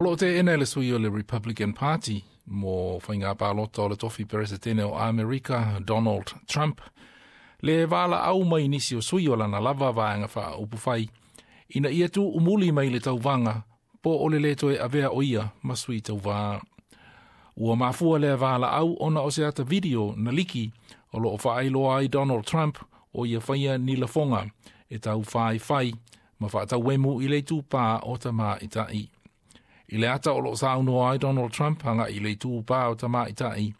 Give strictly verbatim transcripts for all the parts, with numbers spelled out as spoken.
O loo teena e le sui o le Republican Party mo faiga palota o le tofi peresetene o Amerika Donald Trump le valaau mai nisi o sui o lana lava vaega faaupufai ina ia tuumuli mai le tauvaga po o le lē toe avea o ia ma sui tauvā. Ua mafua lea valaau ona o se ata video na liki o loo faailoa ai Donald Trump o ia faia ni lafoga e taufaifai ma faatauemu i le itupā o tamaʻitaʻi. I le ata o loo saunoa ai Donald Trump agaʻi i le itupā o tamaʻitaʻi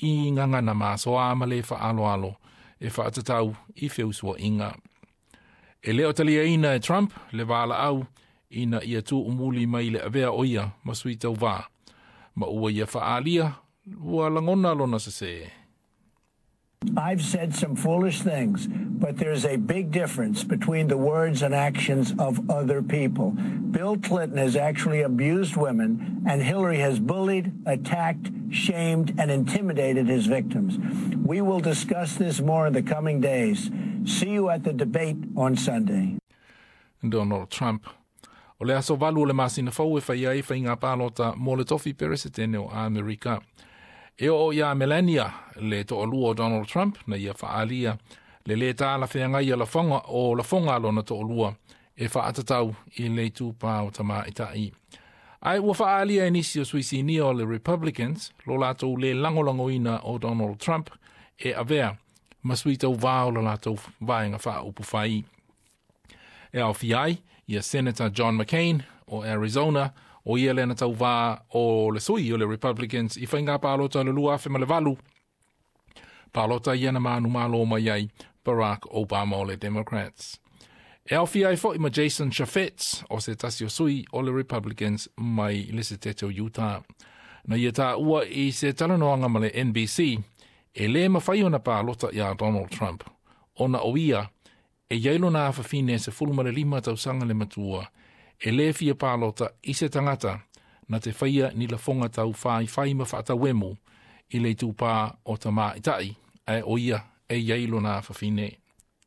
i gagana masoa ma le faaaloalo e faatatau i feusuaʻiga. E le o taliaina e Trump le valaau ina ia tuumuli mai le avea o ia ma sui tauvā ma ua ia faaalia ua lagona lona sesē. I've said some foolish things, but there's a big difference between the words and actions of other people. Bill Clinton has actually abused women, and Hillary has bullied, attacked, shamed, and intimidated his victims. We will discuss this more in the coming days. See you at the debate on Sunday. Donald Trump. O le aso valu o le masina fou e fai ai faiga palota mo le tofi peresetene o Amerika. E oo iā Melania le toalua o Donald Trump na ia faaalia le lē talafeagai a lafoga o lafoga a lona toalua e faatatau i le itupā o tamaʻitaʻi. Ae ua faaalia e nisi o sui sinia o le Republicans lo latou lē lagolagoina o Donald Trump e avea ma sui tauvā o le latou vaega faaupufai. E aofia ai ia Senator John McCain o Arizona o ia lea na tauvā o le sui o le Republicans i faiga palota o le lua afe ma le valu. Palota ia na manumalo mai ai Barack Obama o le Democrats. E aofia ai foʻi ma Jason Chaffetz o se tasi o sui o le Republicans mai le setete o Utah. Na ia taua i se talanoaga ma le N B C e lē mafai ona palota iā Donald Trump ona o ia e iai lona afafine sefulu ma le lima tausaga le matua e lē fia palota i se tagata na te faia ni lafoga taufaifai ma faatauemu i le itupā o tamaʻitaʻi ae o ia e iai lona afafine.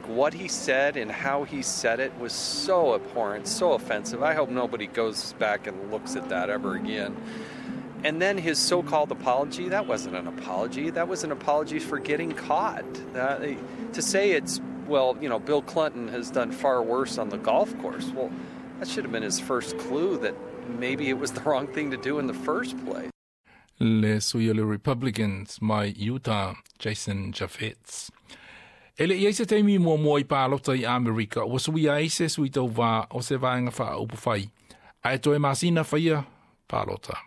What he said and how he said it was so abhorrent, so offensive. I hope nobody goes back and looks at that ever again. And then his so called apology, that wasn't an apology. That was an apology for getting caught. That, to say it's, well, you know, Bill Clinton has done far worse on the golf course. Well, that should have been his first clue that maybe it was the wrong thing to do in the first place. Le sui o le Republicans mai Utah, Jason Chaffetz. E le i ai se taimi muamua i palota i Amerika, ua suia ai se sui tauvā o se vaega faaupufai, ae toe masina faia palota.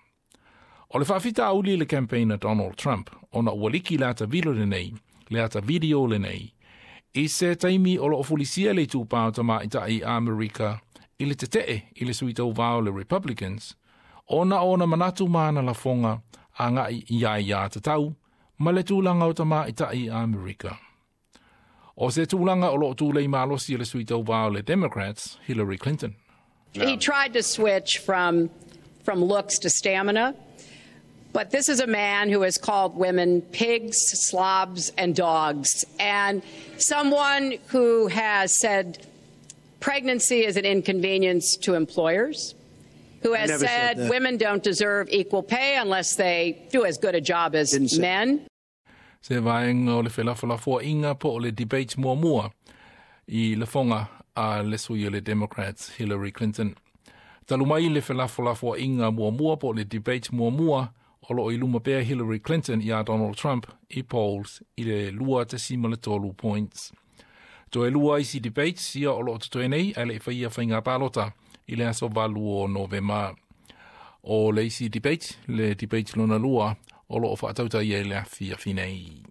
O le faafitauli i le campaign a Donald Trump, ona ua liki le ata video lenei, le ata video lenei, i se taimi o loo fulisia le itupā o tamaʻitaʻi Amerika i le tetee i le sui tauvā o le Republicans, ona ona manatu ma ana lafoga agaʻi i aiā tatau ma le tulaga o tamaʻitaʻi Amerika. O se tulaga o loo tulei malosi le sui tauvā o le Democrats, Hillary Clinton. He tried to switch from, from looks to stamina. But this is a man who has called women pigs, slobs, and dogs. And someone who has said pregnancy is an inconvenience to employers, who has Never said said that. Women don't deserve equal pay unless they do as good a job as Didn't say- men. Se vaega o le felafolafoaiga po o le debate muamua i lafoga a le sui o le Democrats Hillary Clinton. Talu mai le felafolafoaiga muamua po o le debate muamua o loo i luma pea Hillary Clinton iā Donald Trump i polls i le lua tesima le tolu points. Toe lua isi debates ia o loo totoe nei ae le i faia faiga palota i le aso valu o Novema. O le isi debate, le debate lona lua, o loo faatautaia i le afiafi nei.